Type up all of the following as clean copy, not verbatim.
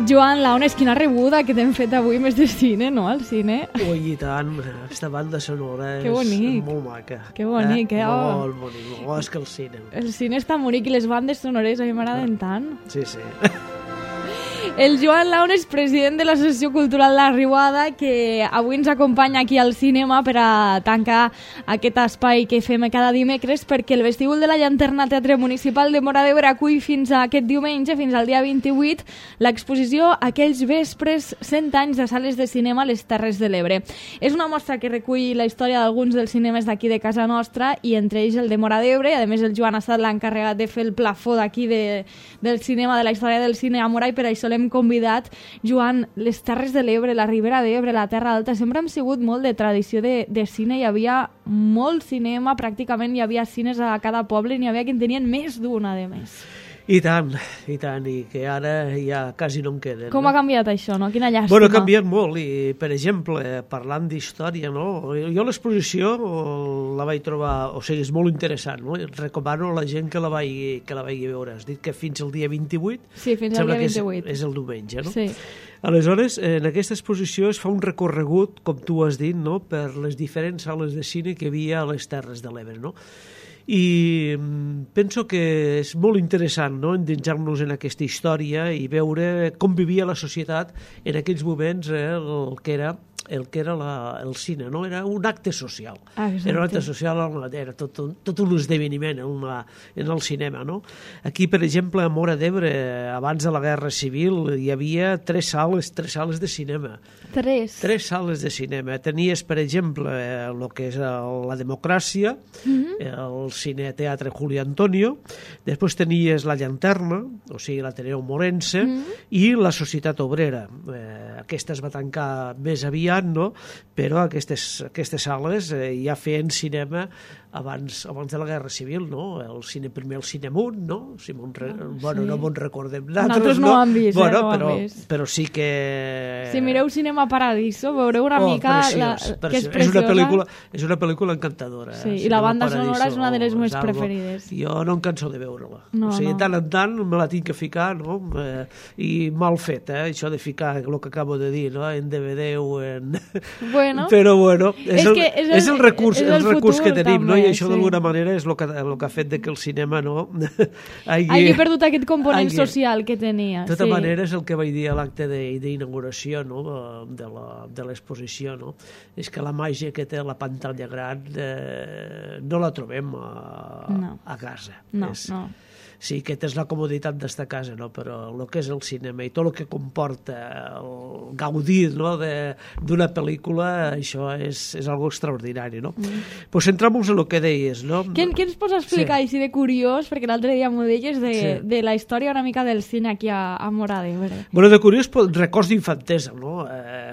Joan Launes, quina rebuda que t'hem fet avui més de cine, no?, al cine. Ui, i tant, aquesta banda sonora és molt maca. Que bonic, Molt bonic, és que el cine. El cine està bonic i les bandes sonores a mi m'agraden tant. Sí, sí. El Joan Launes, president de l'Associació Cultural La Riuada, que avui ens acompanya aquí al cinema per a tancar aquest espai que fem cada dimecres, perquè el vestíbul de la Llanterna Teatre Municipal de Móra d'Ebre acull fins a aquest diumenge, fins al dia 28, l'exposició Aquells vespres 100 anys de sales de cinema a les Terres de l'Ebre. És una mostra que recull la història d'alguns dels cinemes d'aquí de casa nostra, i entre ells el de Móra d'Ebre, i a més el Joan ha estat l'encarregat de fer el plafó d'aquí del cinema, de la història del cine a Móra, i per això l'hem convidat. Joan, les Terres de l'Ebre, la Ribera d'Ebre, la Terra Alta, sempre hem sigut molt de tradició de cine. Hi havia molt cinema, pràcticament hi havia cines a cada poble, i n'hi havia que en tenien més d'una, de més. I tant, i que ara ja quasi no en queden. Com ha canviat això, no? Quina llàstima. Bueno, ha canviat molt, i per exemple, parlant d'història, no? Jo l'exposició la vaig trobar, o sigui, és molt interessant, no? Recomano a la gent que la vagi veure. Has dit que fins al dia 28? Sí, fins al dia 28. És el diumenge, no? Sí. Aleshores, en aquesta exposició es fa un recorregut, com tu has dit, no?, per les diferents sales de cine que hi havia a les Terres de l'Ebre, no? I penso que és molt interessant, no?, endinsar-nos en aquesta història i veure com vivia la societat en aquells moments, el que era el cine, no? Era un acte social. Exacte. Era un acte social, era tot un esdeveniment en el cinema, no? Aquí, per exemple, a Móra d'Ebre, abans de la Guerra Civil, hi havia tres sales de cinema. Tres sales de cinema. Tenies, per exemple, el que és la Democràcia, el Cineteatre Juli Antonio, després tenies la Llanterna, o sigui, l'Ateneu Morense, i la Societat Obrera. Aquesta es va tancar més aviat, no? Però aquestes sales ja feien cinema abans de la Guerra Civil, no? Primer el Cinemunt, no? Bueno, no me'n recordem. Nosaltres no ho hem vist, però sí que... Si mireu Cinema Paradiso, veureu una mica que és preciosa. És una pel·lícula encantadora. Sí, i la banda sonora és una de les meves preferides. Jo no em canso de veure-la. O sigui, tant en tant me la tinc que ficar, no? I mal fet, això de ficar el que acabo de dir, no? En DVD o en... Però bueno, és el recurs que tenim, no? I això d'alguna manera és el que ha fet que el cinema no hagi perdut aquest component social que tenia. De tota manera és el que vaig dir a l'acte d'inauguració, no? De l'exposició, no? És que la màgia que té la pantalla gran no la trobem a casa. No. Sí, que tens la comoditat d'estar a casa, no? Però el que és el cinema i tot el que comporta el gaudir, no?, d'una pel·lícula, això és algo extraordinari, no? Pues centramos en el que deies, no? Què ens pots explicar així de curiós, perquè l'altre dia m'ho deies, de la història una mica del cine aquí a Móra d'Ebre? Bueno, de curiós, records d'infantesa, no?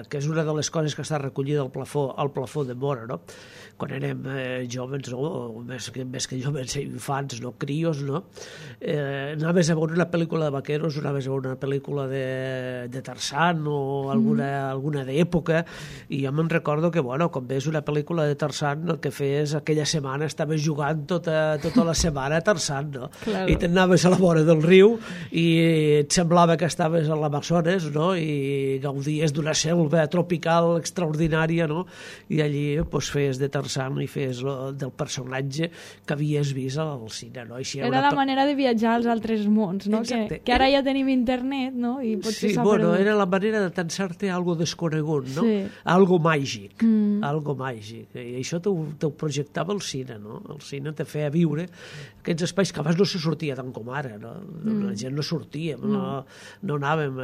Que és una de les coses que està recollida al plafó de Móra, no? Quan érem joves, no? Més que joves, infants, no? Crios, no? Anaves a veure una pel·lícula de vaqueros, anaves a veure una pel·lícula de Tarzan o alguna d'època, i jo me'n recordo que, bueno, quan veus una pel·lícula de Tarzan, el que feies aquella setmana, estaves jugant tota la setmana a Tarzan, no? Claro. I t'anaves a la vora del riu i et semblava que estaves a l'Amazones, no? I gaudies d'una selva tropical extraordinària, no? I allí pues, feies de Tarzan i feies del personatge que havies vist al cine, no? Era la manera de viatjar als altres mons, no? Que ara ja tenim internet, no? I potser s'ha perdut. Era la manera de tensar-te a algo desconegut, no? Sí. Algo màgic, algo màgic. I això t'ho projectava el cine, no? El cine te feia viure aquests espais que abans no se sortia tant com ara, no? La gent no sortia, no anàvem.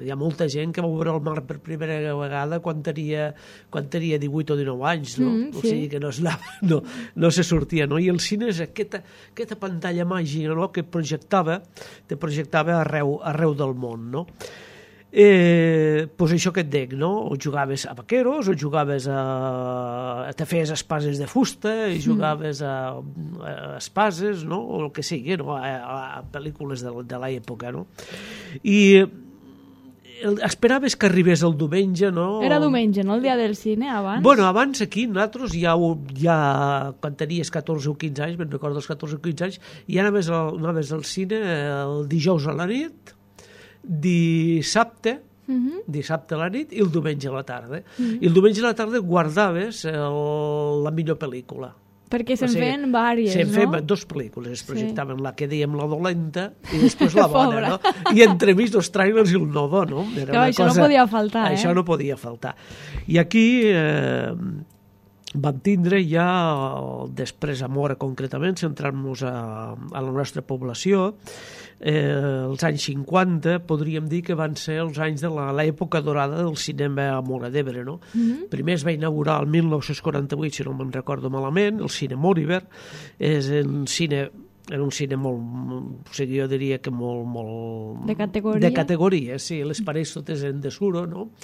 Hi ha molta gent que va veure el mar per primera vegada quan tenia 18 o 19 anys, no? O sigui que no se sortia, no? I el cine és aquesta pantalla màgica, no?, que te projectava arreu del món, no? Pues això que et dic, no? O jugaves a vaqueros, o jugaves te feies espases de fusta, i jugaves a espases, no? O el que sigui, no? A pel·lícules de l'època, no? I esperaves que arribés el diumenge, no? Era diumenge, no? El dia del cine, abans? Bueno, abans aquí, nosaltres ja quan tenies 14 o 15 anys, me'n recordo els 14 o 15 anys, ja anaves al cine el dijous a la nit, dissabte a la nit i el diumenge a la tarda. I el diumenge a la tarda guardaves la millor pel·lícula. Perquè se'n feien vàries, no? Se'n feien 2 pel·lícules, es projectaven la que dèiem la dolenta i després la bona, no? I entremig els trailers i el nodo, no? Això no podia faltar, Això no podia faltar. I aquí vam tindre ja, després a Móra concretament, centrant-nos a la nostra població, els anys 50 podríem dir que van ser els anys de l'època dorada del cinema a Móra d'Ebre, no? Primer es va inaugurar el 1948, si no me'n recordo malament, el Cine Moriver. Era un cine molt, o sigui, jo diria que molt... De categoria? De categoria, sí. Les parets totes eren de suro, no?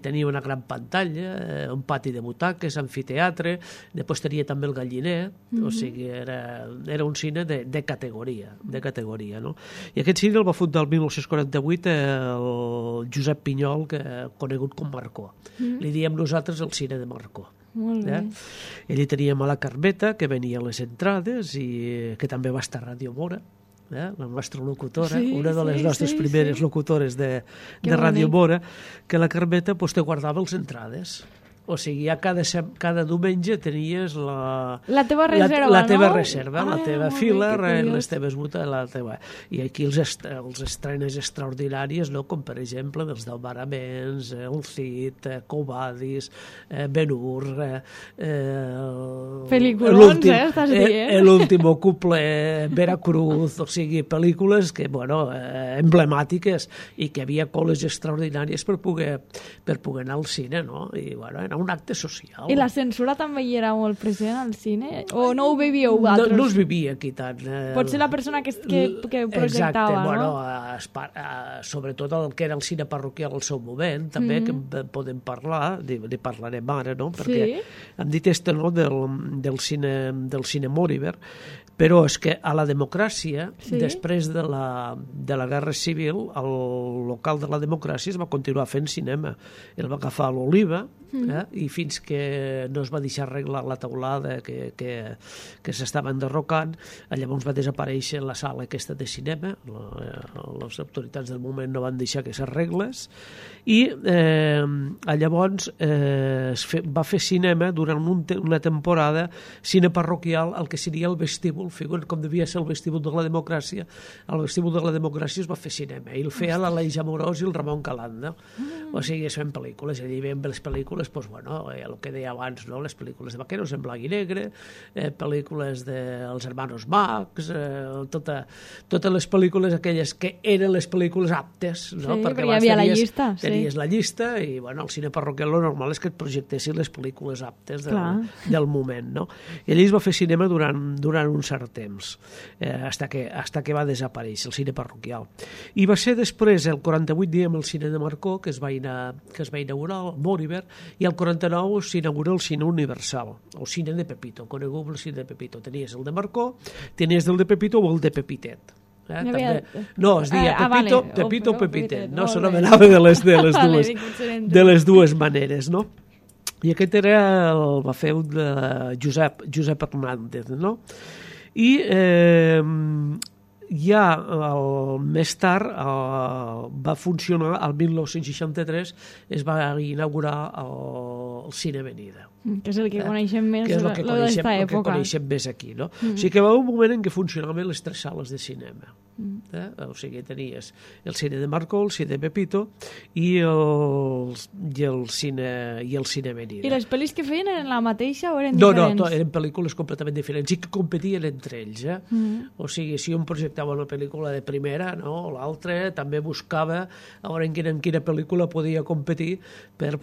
Tenia una gran pantalla, un pati de butaques, amfiteatre, després tenia també el galliner, o sigui, era un cine de categoria, no? I aquest cine el va fundar el 1948 el Josep Pinyol, conegut com Marcó. Li diem nosaltres el cine de Marcó. Molt bé. Ell hi teníem a la Carmeta, que venia a les entrades i que també va estar a Ràdio Móra, la nostra locutora, una de les nostres primeres locutores de Ràdio Móra, que la Carmeta te guardava les entrades. O sigui, ja cada diumenge tenies la teva reserva, la teva reserva, la teva fila, les teves butes, i aquí els estrenes extraordinàries, no? Com per exemple dels Delbaraments, el Cid, Covadis, Ben-Hur, pel·lícules, estàs dient? l'último couple, Veracruz, o sigui, pel·lícules que, emblemàtiques i que havia coles extraordinàries per poder anar al cine, no? I, era un acte social. I la censura també hi era molt present al cine? O no ho vivíeu vosaltres? No es vivia aquí tant. Potser la persona que projectava, no? Sobretot el que era el cine parroquial al seu moment, també, que podem parlar, ne parlarem ara, no? Perquè hem dit no, del cine Moriver, però és que a la democràcia, després de la Guerra Civil, el local de la democràcia es va continuar fent cinema. El va agafar l'Oliva, i fins que no es va deixar arreglar la teulada que s'estava enderrocant, llavors va desaparèixer la sala aquesta de cinema, les autoritats del moment no van deixar que s'arreglés, i llavors va fer cinema durant una temporada, cine parroquial, el que seria el vestíbul, figuren com devia ser el vestíbul de la democràcia. Al vestíbul de la democràcia es va fer cinema, i el feia l'Aleix Amorós i el Ramon Calanda. O sigui, es feien pel·lícules, allà hi veiem les pel·lícules, el que deia abans, les pel·lícules de vaqueros en blanc i negre, pel·lícules dels hermanos Marx, totes les pel·lícules aquelles que eren les pel·lícules aptes, no? Perquè hi havia la llista. Tenies la llista i, el cine parroquial lo normal és que et projectessin les pel·lícules aptes del moment, no? I allà es va fer cinema durant un cert temps, hasta que va desaparèixer el cine parroquial. I va ser després, el 48, diem, el cine de Marcó, que es va inaugurar, el Moriver, i el 49 s'inaugura el cine universal, el cine de Pepito, conegut el cine de Pepito. Tenies el de Marcó, tenies el de Pepito o el de Pepitet. No, es deia Pepito o Pepitet, no? S'anomenava de les dues maneres, no? I aquest el va fer un de Josep Hernández, no? I ja més tard va funcionar, el 1963 es va inaugurar el Cine Avenida, que és el que coneixem més d'esta època, que coneixem més aquí, no? O sigui que va haver un moment en què funcionaven les 3 sales de cinema, o sigui, tenies el cine de Marcó, el cine de Pepito i el cine Avenida. I les pel·lis que feien eren la mateixa o eren diferents? No, eren pel·lícules completament diferents i que competien entre ells, o sigui, si un projectava una pel·lícula de primera, no? L'altre també buscava a veure en quina pel·lícula podia competir per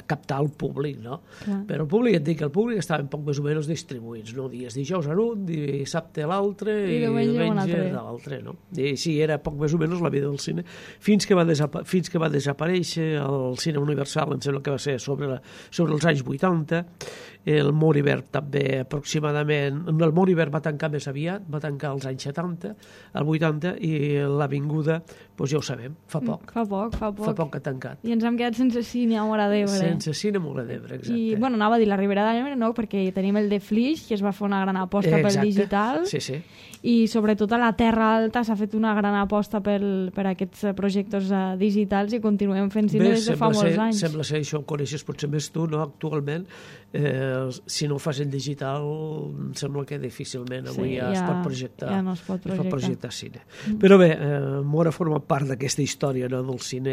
captar el públic, no? Però el públic, et dic, el públic estaven poc més o menys distribuïts, no? Dies dijous en un, dissabte l'altre i diumenge l'altre, no? I sí, era poc més o menys la vida del cine, fins que va desaparèixer el cine universal, em sembla que va ser sobre els anys 80, el Moribert també aproximadament, el Moribert va tancar més aviat, va tancar als anys 70, al 80, i l'Avinguda, doncs ja ho sabem, fa poc. Fa poc Que ha tancat. I ens hem quedat sense cine a Móra d'Ebre. Sense cine a Móra d'Ebre, exacte. I, bueno, anava a dir la Ribera d'Ebre, no? Perquè tenim el de Flix, que es va fer una gran aposta pel digital. Sí. I sobretot a la Terra Alta s'ha fet una gran aposta per aquests projectes digitals i continuem fent cine des de fa molts anys. Sembla ser, això ho coneixes potser més tu, no? Actualment, si no ho fas en digital, sembla que difícilment avui ja es pot projectar, ja no es pot projectar cine. Però bé, Móra forma part d'aquesta història, no?, del cine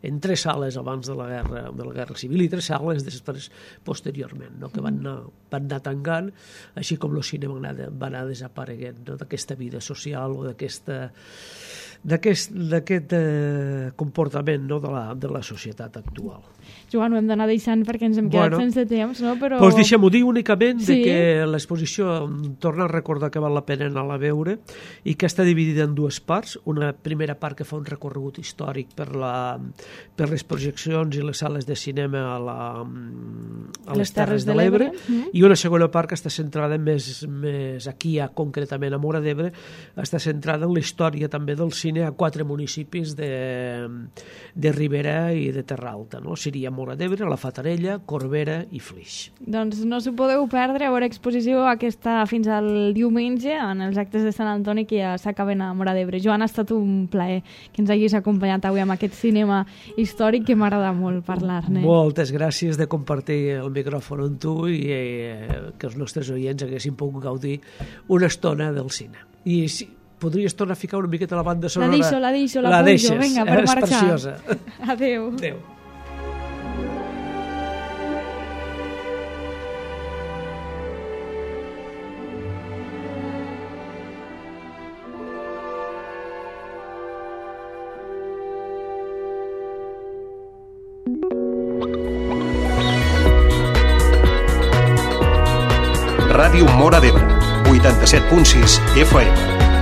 en 3 sales abans de la Guerra Civil i 3 sales després, posteriorment, no?, que van anar tancant, així com el cine va anar desapareguent, no?, d'aquesta vida social o d'aquest comportament, no?, de la societat actual. Joan, ho hem d'anar deixant perquè ens hem quedat sense temps, no? Però... Doncs deixem-ho dir únicament que l'exposició, torna a recordar que val la pena anar a veure i que està dividida en 2 parts. Una primera part que fa un recorregut històric per les projeccions i les sales de cinema a les Terres de l'Ebre, i una segona part que està centrada més aquí, concretament a Móra d'Ebre, està centrada en la història també del cine a 4 municipis de Ribera i de Terra Alta, no? Seria Móra d'Ebre, la Fatarella, Corbera i Flix. Doncs no s'ho podeu perdre, a veure exposició aquesta fins al diumenge en els actes de Sant Antoni que ja s'acaben a Móra d'Ebre. Joan, ha estat un plaer que ens hagis acompanyat avui amb aquest cinema històric que m'agrada molt parlar-ne. Moltes gràcies de compartir el micròfon amb tu i que els nostres oients haguessin pogut gaudir una estona del cine. I si podries tornar a ficar una miqueta la banda sonora. La deixo, la pujo, vinga, per marxar. És preciosa. Adéu. Ràdio Móra d'Ebre, 87.6 FM.